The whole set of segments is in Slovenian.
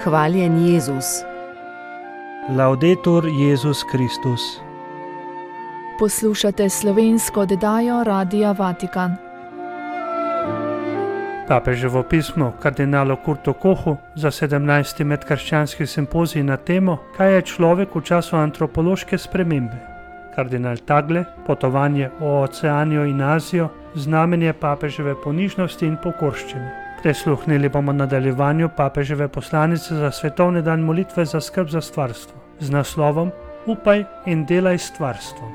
Hvaljen Jezus. Laudetur Jezus Kristus. Poslušate slovensko oddajo Radia Vatikan. Papeževo pismo kardinalu Kurtu Kochu za 17. medkrščanski simpozij na temo, kaj je človek v času antropološke spremembe. Kardinal Tagle, potovanje v Oceanijo in Azijo, znamenje papeževe ponižnosti in pokorščine. Prisluhnili bomo nadaljevanju papeževe poslanice za svetovni dan molitve za skrb za stvarstvo z naslovom Upaj in delaj s stvarstvom.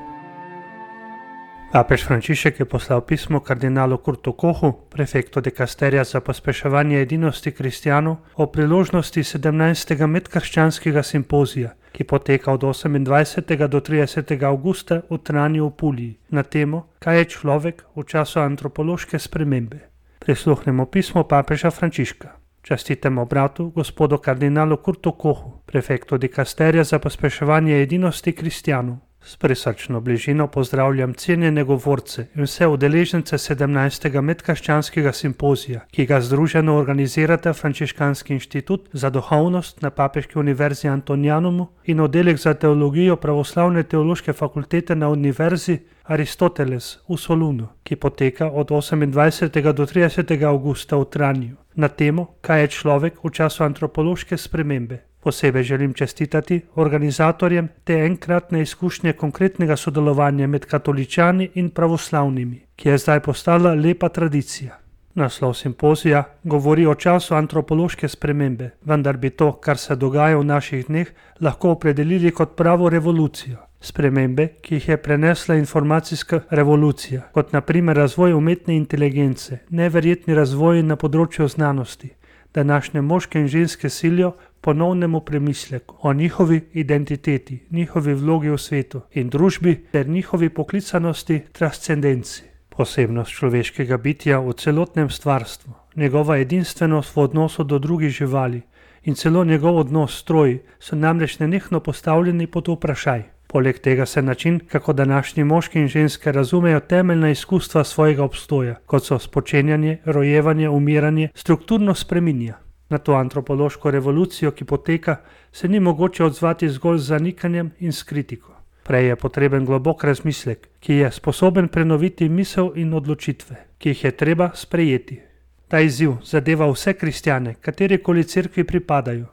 Papež Frančišek je poslal pismo kardinalu Kurtu Kochu, prefektu dikasterija za pospeševanje edinosti kristjanov, o priložnosti 17. medkrščanskega simpozija, ki poteka od 28. do 30. avgusta v Tranju v Puliji, na temo, kaj je človek v času antropološke spremembe. Prisluhnemo pismo papeža Frančiška. Častitemo bratu, gospodu kardinalu Kurtu Kochu, prefektu dikasterija za pospeševanje edinosti kristjanov. S prisrčno bližino pozdravljam cenjene govorce in vse udeležence 17. medkrščanskega simpozija, ki ga združeno organizirata Frančiškanski inštitut za duhovnost na Papeški univerzi Antonianumu in oddelek za teologijo pravoslavne teološke fakultete na univerzi Aristoteles v Solunu, ki poteka od 28. do 30. avgusta v Tranju, na temo, kaj je človek v času antropološke spremembe. Posebej želim čestitati organizatorjem te enkratne izkušnje konkretnega sodelovanja med katoličani in pravoslavnimi, ki je zdaj postala lepa tradicija. Naslov simpozija govori o času antropološke spremembe, vendar bi to, kar se dogaja v naših dneh, lahko opredelili kot pravo revolucijo. Spremembe, ki jih je prenesla informacijska revolucija, kot na primer razvoj umetne inteligence, neverjetni razvoj na področju znanosti, današnje moške in ženske silijo ponovnemu premisleku o njihovi identiteti, njihovi vlogi v svetu in družbi ter njihovi poklicanosti transcendenci. Posebnost človeškega bitja v celotnem stvarstvu, njegova edinstvenost v odnosu do drugih živali in celo njegov odnos s stroji so namreč nenehno postavljeni pod vprašaj. Poleg tega se način, kako današnji moški in ženske razumejo temeljna izkustva svojega obstoja, kot so spočenjanje, rojevanje, umiranje, strukturno spreminja. Na to antropološko revolucijo, ki poteka, se ni mogoče odzvati zgolj z zanikanjem in s kritiko. Prej je potreben globok razmislek, ki je sposoben prenoviti misel in odločitve, ki jih je treba sprejeti. Ta izziv zadeva vse kristjane, katerikoli cerkvi pripadajo.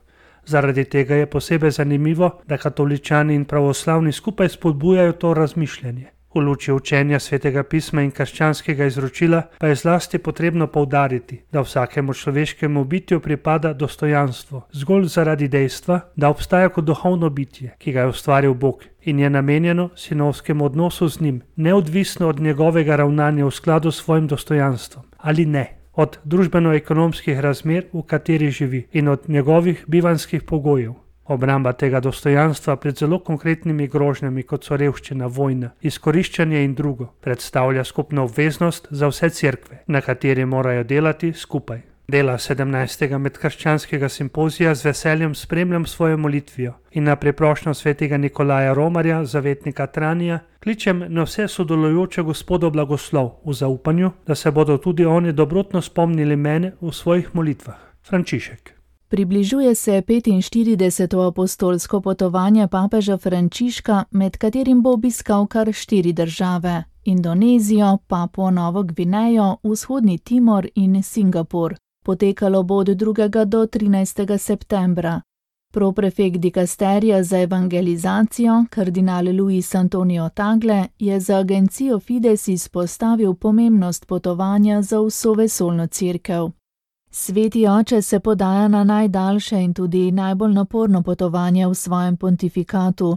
Zaradi tega je posebej zanimivo, da katoličani in pravoslavni skupaj spodbujajo to razmišljanje. V luči učenja svetega pisma in krščanskega izročila pa je zlasti potrebno poudariti, da vsakemu človeškemu bitju pripada dostojanstvo, zgolj zaradi dejstva, da obstaja kot duhovno bitje, ki ga je ustvaril Bog in je namenjeno sinovskemu odnosu z njim, neodvisno od njegovega ravnanja v skladu s svojim dostojanstvom ali ne, od družbeno-ekonomskih razmer, v kateri živi, in od njegovih bivanjskih pogojev. Obramba tega dostojanstva pred zelo konkretnimi grožnjami, kot so revščina, vojna, izkoriščanje in drugo, predstavlja skupno obveznost za vse cerkve, na kateri morajo delati skupaj. Dela 17. medkrščanskega simpozija z veseljem spremljam svojo molitvijo in na priprošnjo svetega Nikolaja Romarja, zavetnika Tranja, kličem na vse sodelujoče Gospodov blagoslov v zaupanju, da se bodo tudi oni dobrotno spomnili mene v svojih molitvah. Frančišek. Približuje se 45. apostolsko potovanje papeža Frančiška, med katerim bo obiskal kar 4 države: Indonezijo, Papuo Novo Gvinejo, Vzhodni Timor in Singapur. Potekalo bo od 2. do 13. septembra. Proprefekt dikasterija za evangelizacijo, kardinal Luis Antonio Tagle, je za agencijo Fides izpostavil pomembnost potovanja za vso vesoljno cerkev. Sveti oče se podaja na najdaljše in tudi najbolj naporno potovanje v svojem pontifikatu.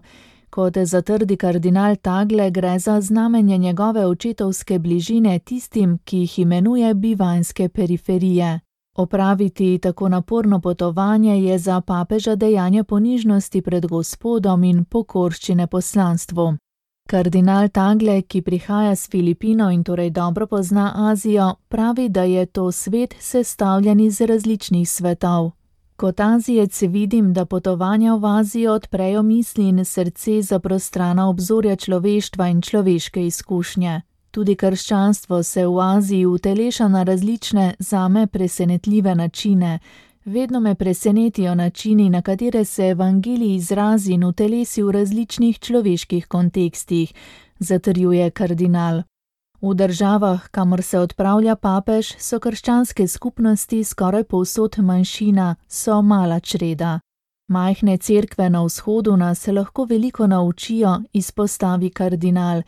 Kot zatrdi kardinal Tagle, gre za znamenje njegove očetovske bližine tistim, ki jih imenuje bivanjske periferije. Opraviti tako naporno potovanje je za papeža dejanje ponižnosti pred Gospodom in pokorščine poslanstvu. Kardinal Tagle, ki prihaja s Filipinov in torej dobro pozna Azijo, pravi, da je to svet sestavljen iz različnih svetov. Kot Azijec vidim, da potovanja v Azijo odprejo misli in srce za prostrana obzorja človeštva in človeške izkušnje. Tudi krščanstvo se v Aziji uteleša na različne, zame presenetljive načine. Vedno me presenetijo načini, na katere se evangelij izrazi in utelesi v različnih človeških kontekstih, zatrjuje kardinal. V državah, kamor se odpravlja papež, so krščanske skupnosti skoraj povsod manjšina, so mala čreda. Majhne cerkve na vzhodu nas lahko veliko naučijo, izpostavi kardinal.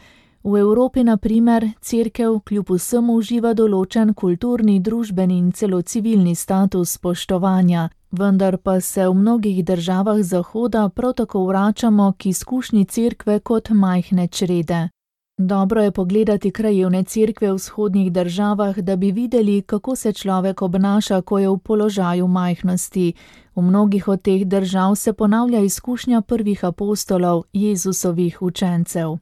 V Evropi, na primer, cerkev kljub vsemu uživa določen kulturni, družbeni in celo civilni status spoštovanja, vendar pa se v mnogih državah Zahoda prav tako vračamo k izkušnji cerkve kot majhne črede. Dobro je pogledati krajevne cerkve v vzhodnih državah, da bi videli, kako se človek obnaša, ko je v položaju majhnosti. V mnogih od teh držav se ponavlja izkušnja prvih apostolov, Jezusovih učencev.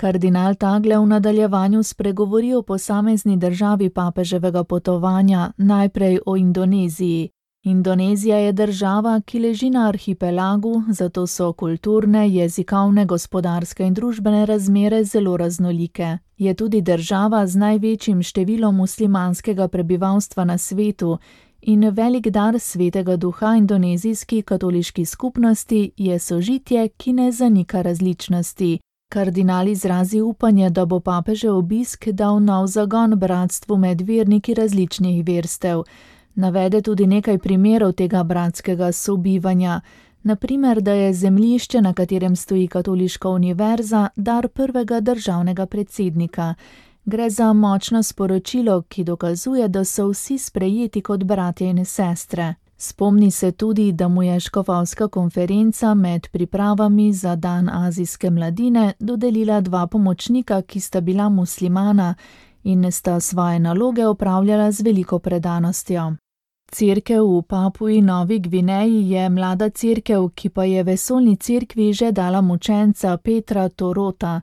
Kardinal Tagle v nadaljevanju spregovori o posamezni državi papeževega potovanja, najprej o Indoneziji. Indonezija je država, ki leži na arhipelagu, zato so kulturne, jezikovne, gospodarske in družbene razmere zelo raznolike. Je tudi država z največjim številom muslimanskega prebivalstva na svetu in velik dar svetega duha indonezijski katoliški skupnosti je sožitje, ki ne zanika različnosti. Kardinal izrazi upanje, da bo papežev obisk dal nov zagon bratstvu med verniki različnih verstev. Navede tudi nekaj primerov tega bratskega sobivanja. Na primer, da je zemljišče, na katerem stoji katoliška univerza, dar prvega državnega predsednika. Gre za močno sporočilo, ki dokazuje, da so vsi sprejeti kot bratje in sestre. Spomni se tudi, da mu je škofovska konferenca med pripravami za dan azijske mladine dodelila 2 pomočnika, ki sta bila muslimana in sta svoje naloge opravljala z veliko predanostjo. Cerkev v Papui Novi Gvineji je mlada cerkev, ki pa je vesoljni cerkvi že dala mučenca Petra Torota.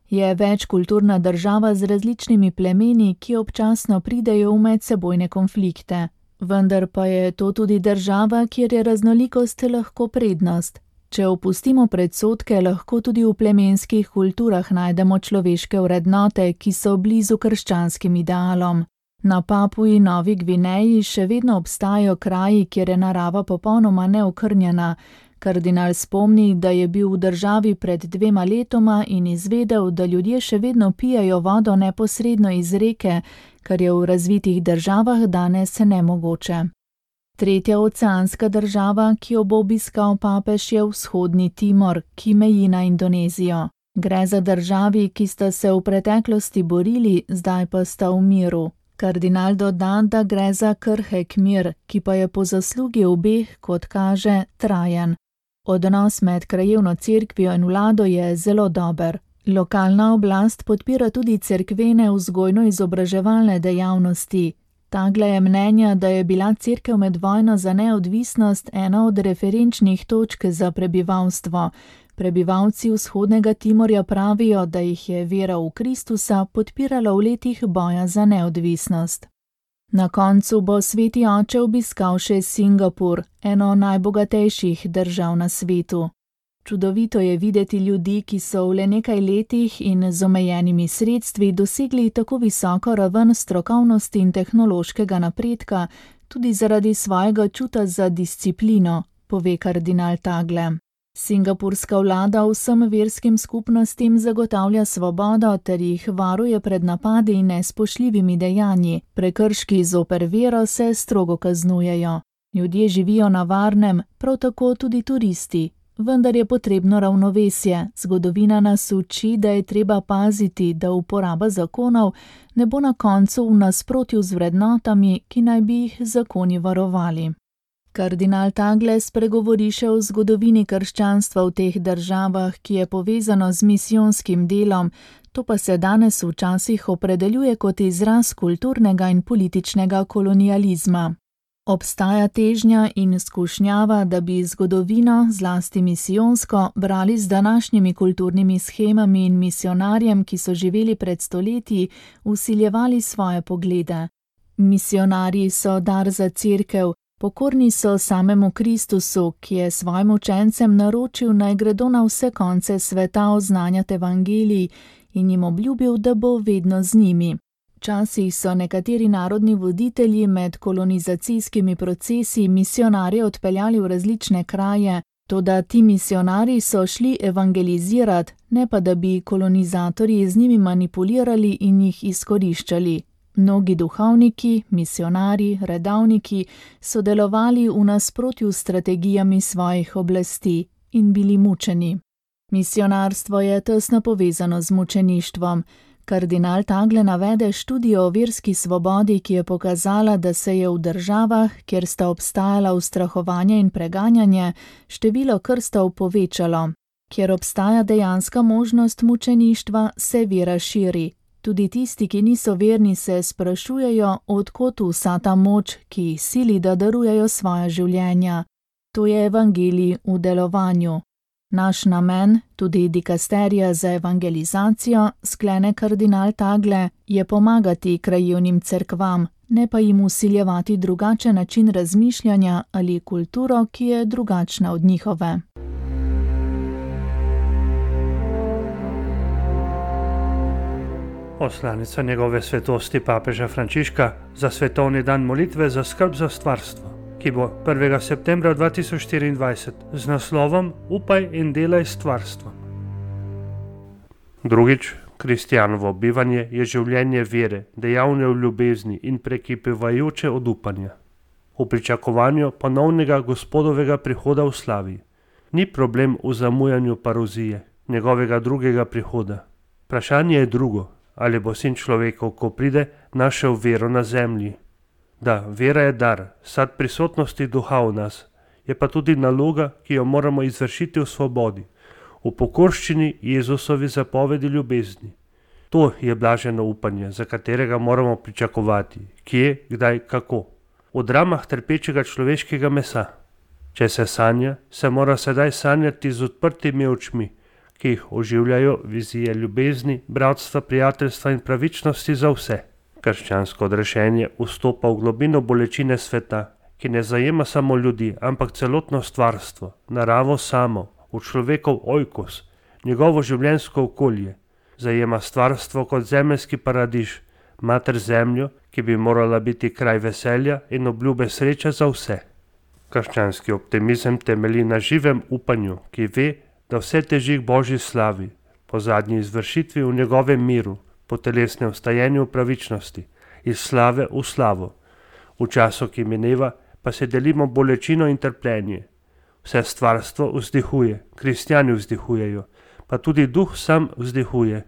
Je večkulturna država z različnimi plemeni, ki občasno pridejo v medsebojne konflikte. Vendar pa je to tudi država, kjer je raznolikost lahko prednost. Če opustimo predsodke, lahko tudi v plemenskih kulturah najdemo človeške vrednote, ki so blizu krščanskim idealom. Na Papui Novi Gvineji še vedno obstajajo kraji, kjer je narava popolnoma neokrnjena. Kardinal spomni, da je bil v državi pred 2 letoma in izvedel, da ljudje še vedno pijejo vodo neposredno iz reke, kar je v razvitih državah danes nemogoče. Tretja oceanska država, ki jo bo obiskal papež, je vzhodni Timor, ki meji na Indonezijo. Gre za državi, ki sta se v preteklosti borili, zdaj pa sta v miru. Kardinal doda, da gre za krhek mir, ki pa je po zaslugi obeh, kot kaže, trajen. Odnos med krajevno cerkvijo in vlado je zelo dober. Lokalna oblast podpira tudi cerkvene vzgojno-izobraževalne dejavnosti. Tagle je mnenja, da je bila cerkev med vojno za neodvisnost ena od referenčnih točk za prebivalstvo. Prebivalci vzhodnega Timorja pravijo, da jih je vera v Kristusa podpirala v letih boja za neodvisnost. Na koncu bo sveti oče obiskal še Singapur, eno najbogatejših držav na svetu. Čudovito je videti ljudi, ki so v le nekaj letih in z omejenimi sredstvi dosegli tako visoko raven strokovnosti in tehnološkega napredka, tudi zaradi svojega čuta za disciplino, pove kardinal Tagle. Singapurska vlada vsem verskim skupnostim zagotavlja svobodo ter jih varuje pred napadi in nespoštljivimi dejanji. Prekrški zoper vero se strogo kaznujejo. Ljudje živijo na varnem, prav tako tudi turisti. Vendar je potrebno ravnovesje. Zgodovina nas uči, da je treba paziti, da uporaba zakonov ne bo na koncu v nasprotju z vrednotami, ki naj bi jih zakoni varovali. Kardinal Tagle spregovori še o zgodovini krščanstva v teh državah, ki je povezano z misijonskim delom, to pa se danes včasih opredeljuje kot izraz kulturnega in političnega kolonializma. Obstaja težnja in skušnjava, da bi zgodovino, zlasti misijonsko, brali z današnjimi kulturnimi shemami in misionarjem, ki so živeli pred stoletji, vsiljevali svoje poglede. Misionarji so dar za cerkev, pokorni so samemu Kristusu, ki je svojim učencem naročil, naj gredo na vse konce sveta oznanjati evangelij in jim obljubil, da bo vedno z njimi. Včasih so nekateri narodni voditelji med kolonizacijskimi procesi misionarje odpeljali v različne kraje, toda ti misionarji so šli evangelizirati, ne pa da bi kolonizatorji z njimi manipulirali in jih izkoriščali. Mnogi duhovniki, misionarji, redavniki so delovali v nasprotju s strategijami svojih oblasti in bili mučeni. Misionarstvo je tesno povezano z mučeništvom. Kardinal Tagle navede študijo o verski svobodi, ki je pokazala, da se je v državah, kjer sta obstajala ustrahovanje in preganjanje, število krstov povečalo. Kjer obstaja dejanska možnost mučeništva, se vera širi. Tudi tisti, ki niso verni, se sprašujejo, od kod vsa ta moč, ki jih sili, da darujejo svoja življenja. To je evangelij v delovanju. Naš namen, tudi dikasterija za evangelizacijo, sklene kardinal Tagle, je pomagati krajevnim cerkvam, ne pa jim vsiljevati drugačen način razmišljanja ali kulturo, ki je drugačna od njihove. Poslanica njegove svetosti papeža Frančiška za svetovni dan molitve za skrb za stvarstvo, ki bo 1. septembra 2024 z naslovom Upaj in delaj s stvarstvom. Drugič, kristjanovo bivanje je življenje vere, dejavne v ljubezni in prekipevajoče od upanja. V pričakovanju ponovnega Gospodovega prihoda v slavi. Ni problem v zamujanju parozije, njegovega drugega prihoda. Vprašanje je drugo, ali bo sin človekov, ko pride, našel vero na zemlji. Da, vera je dar, sad prisotnosti duha v nas, je pa tudi naloga, ki jo moramo izvršiti v svobodi, v pokorščini Jezusovi zapovedi ljubezni. To je blaženo upanje, za katerega moramo pričakovati, kje, kdaj, kako. V dramah trpečega človeškega mesa. Če se sanja, se mora sedaj sanjati z odprtimi očmi, ki jih oživljajo vizije ljubezni, bratstva, prijateljstva in pravičnosti za vse. Krščansko odrešenje vstopa v globino bolečine sveta, ki ne zajema samo ljudi, ampak celotno stvarstvo, naravo samo, v človekov oikos, njegovo življenjsko okolje. Zajema stvarstvo kot zemeljski paradiž, mater zemljo, ki bi morala biti kraj veselja in obljube sreče za vse. Krščanski optimizem temelji na živem upanju, ki ve, da vse teži k Božji slavi, po zadnji izvršitvi v njegovem miru, po telesnem vstajenju v pravičnosti, iz slave v slavo. V času, ki mineva, pa se delimo bolečino in trpljenje. Vse stvarstvo vzdihuje, kristjani vzdihujejo, pa tudi duh sam vzdihuje.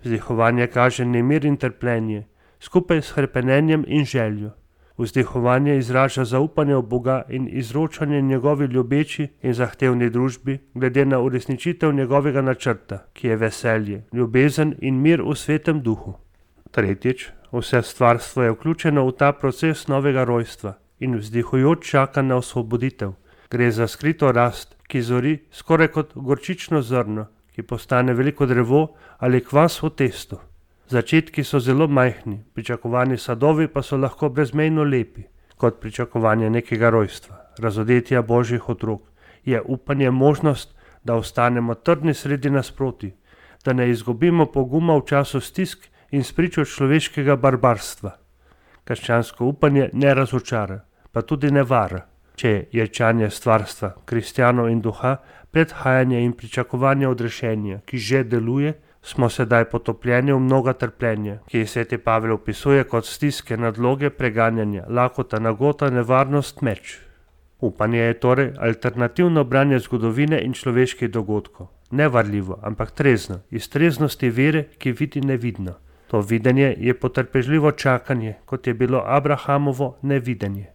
Vzdihovanje kaže nemir in trpljenje, skupaj s hrepenenjem in željo. Vzdihovanje izraža zaupanje v Boga in izročanje njegovi ljubeči in zahtevni družbi glede na uresničitev njegovega načrta, ki je veselje, ljubezen in mir v svetem duhu. Tretjič, vse stvarstvo je vključeno v ta proces novega rojstva in vzdihujoč čaka na osvoboditev. Gre za skrito rast, ki zori skoraj kot gorčično zrno, ki postane veliko drevo ali kvas v testu. Začetki so zelo majhni, pričakovani sadovi pa so lahko brezmejno lepi, kot pričakovanje nekega rojstva, razodetja Božjih otrok. Je upanje možnost, da ostanemo trdni sredi nasproti, da ne izgubimo poguma v času stisk in spričo človeškega barbarstva. Krščansko upanje ne razočara, pa tudi ne vara. Če je ječanje stvarstva, kristjanov in duha, predhajanje in pričakovanje odrešenja, ki že deluje, smo sedaj potopljeni v mnoga trpljenja, ki jih sveti Pavel opisuje kot stiske, nadloge, preganjanja, lakota, nagota, nevarnost, meč. Upanje je torej alternativno branje zgodovine in človeških dogodkov. Ne varljivo, ampak trezno, iz treznosti vere, ki vidi nevidno. To videnje je potrpežljivo čakanje, kot je bilo Abrahamovo nevidenje.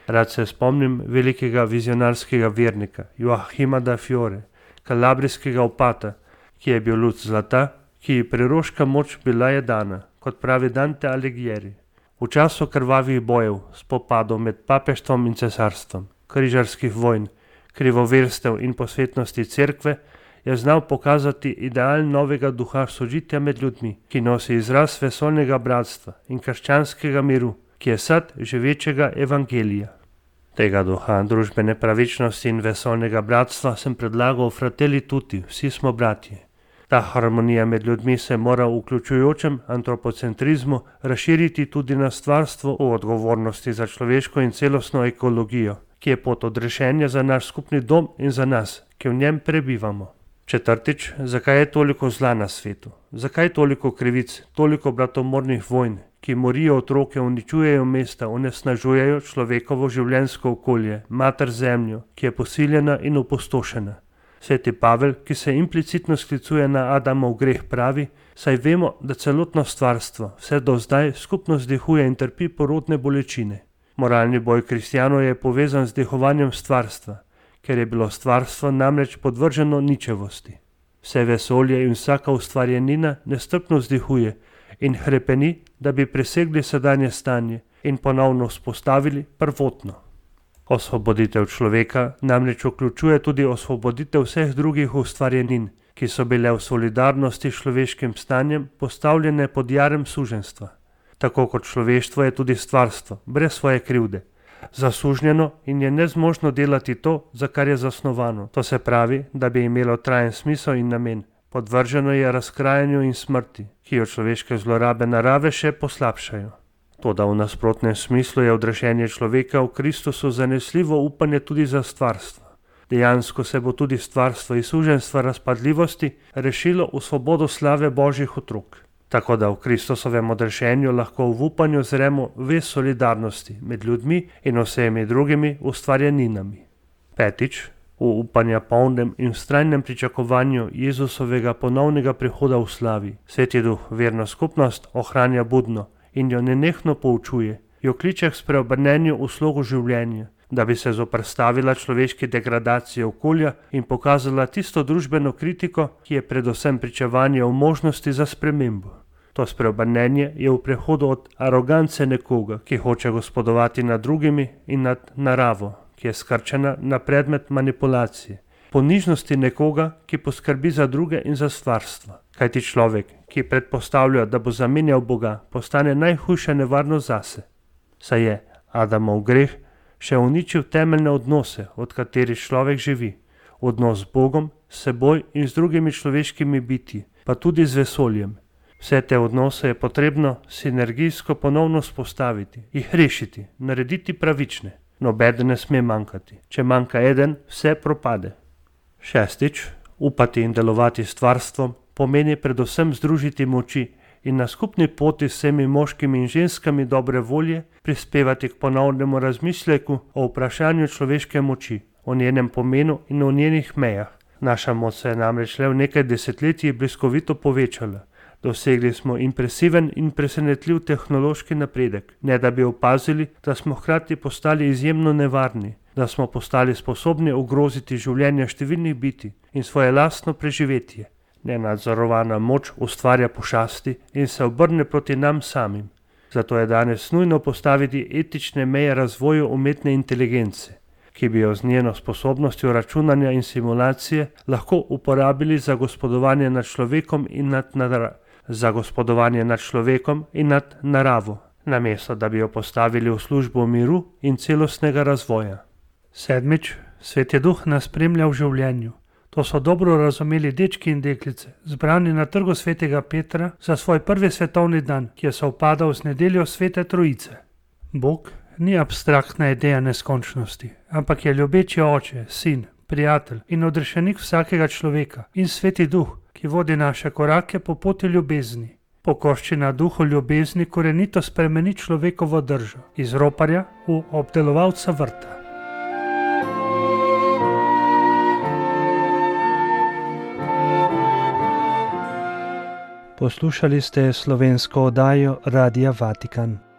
Rad se spomnim velikega vizionarskega vernika Joachima da Fiore, kalabrijskega opata, ki je bil luč zlata, ki ji preroška moč bila je dana, kot pravi Dante Alighieri. V času krvavih bojev, spopadov med papeštvom in cesarstvom, križarskih vojn, krivoverstev in posvetnosti cerkve, je znal pokazati ideal novega duha sožitja med ljudmi, ki nosi izraz vesoljnega bratstva in krščanskega miru, ki je sad živečega evangelija. Tega duha družbene pravičnosti in vesoljnega bratstva sem predlagal Fratelli Tutti, vsi smo bratje. Ta harmonija med ljudmi se mora v vključujočem antropocentrizmu razširiti tudi na stvarstvo v odgovornosti za človeško in celostno ekologijo, ki je pot odrešenja za naš skupni dom in za nas, ki v njem prebivamo. Četrtič, zakaj je toliko zla na svetu? Zakaj toliko krivic, toliko bratomornih vojn, ki morijo otroke, uničujejo mesta, onesnažujejo človekovo življenjsko okolje, mater zemljo, ki je posiljena in opustošena? Sveti Pavel, ki se implicitno sklicuje na Adamov greh, pravi: saj vemo, da celotno stvarstvo vse do zdaj skupno zdihuje in trpi porodne bolečine. Moralni boj kristjanov je povezan z dihovanjem stvarstva, ker je bilo stvarstvo namreč podvrženo ničevosti. Vse vesolje in vsaka ustvarjenina nestrpno vzdihuje in hrepeni, da bi presegli sedanje stanje in ponovno vzpostavili prvotno. Osvoboditev človeka namreč vključuje tudi osvoboditev vseh drugih ustvarjenin, ki so bile v solidarnosti s človeškim stanjem postavljene pod jarem suženjstva. Tako kot človeštvo je tudi stvarstvo, brez svoje krivde, zasužnjeno in je nezmožno delati to, za kar je zasnovano. To se pravi, da bi imelo trajen smisel in namen. Podvrženo je razkrajanju in smrti, ki jo človeške zlorabe narave še poslabšajo. Toda v nasprotnem smislu je odrešenje človeka v Kristusu zanesljivo upanje tudi za stvarstvo. Dejansko se bo tudi stvarstvo iz suženjstva razpadljivosti rešilo v svobodo slave Božjih otrok. Tako da v Kristusovem odrešenju lahko v upanju zremo vez solidarnosti med ljudmi in vsemi drugimi ustvarjeninami. Petič, v upanja polnem in vztrajnem pričakovanju Jezusovega ponovnega prihoda v slavi, Sveti Duh verno skupnost ohranja budno in jo nenehno poučuje, jo kliče k spreobrnenju v slogu življenja, da bi se zoperstavila človeški degradaciji okolja in pokazala tisto družbeno kritiko, ki je predvsem pričevanje o možnosti za spremembo. To spreobrnenje je v prehodu od arogance nekoga, ki hoče gospodovati nad drugimi, in nad naravo, ki je skrčena na predmet manipulacije, ponižnosti nekoga, ki poskrbi za druge in za stvarstvo. Kajti človek, ki predpostavlja, da bo zamenjal Boga, postane najhujša nevarnost zase. Saj je Adamov greh še uničil temeljne odnose, od katerih človek živi. Odnos z Bogom, s seboj in z drugimi človeškimi bitji, pa tudi z vesoljem. Vse te odnose je potrebno sinergijsko ponovno spostaviti, jih rešiti, narediti pravične. Nobeden ne sme manjkati. Če manjka eden, vse propade. Šestič, upati in delovati s stvarstvom pomeni predvsem združiti moči in na skupni poti s vsemi moškimi in ženskami dobre volje prispevati k ponovnemu razmisleku o vprašanju človeške moči, o njenem pomenu in o njenih mejah. Naša moč se je namreč le v nekaj desetletji bliskovito povečala. Dosegli smo impresiven in presenetljiv tehnološki napredek, ne da bi opazili, da smo hkrati postali izjemno nevarni, da smo postali sposobni ogroziti življenja številnih bitij in svoje lastno preživetje. Nenadzorovana moč ustvarja pošasti in se obrne proti nam samim. Zato je danes nujno postaviti etične meje razvoju umetne inteligence, ki bi jo z njeno sposobnostjo računanja in simulacije lahko uporabili za gospodovanje nad človekom in nad naravo, namesto da bi jo postavili v službo miru in celostnega razvoja. Sedmič, Sveti Duh nas spremlja v življenju. To so dobro razumeli dečki in deklice, zbrani na trgu Svetega Petra za svoj prvi svetovni dan, ki je sovpadal z nedeljo Svete Trojice. Bog ni abstraktna ideja neskončnosti, ampak je ljubeči oče, sin, prijatelj in odrešenik vsakega človeka in Sveti Duh, ki vodi naše korake po poti ljubezni. Pokoščina duhu ljubezni korenito spremeni človekovo držo, iz roparja v obdelovalca vrta. Poslušali ste slovensko oddajo Radia Vatikan.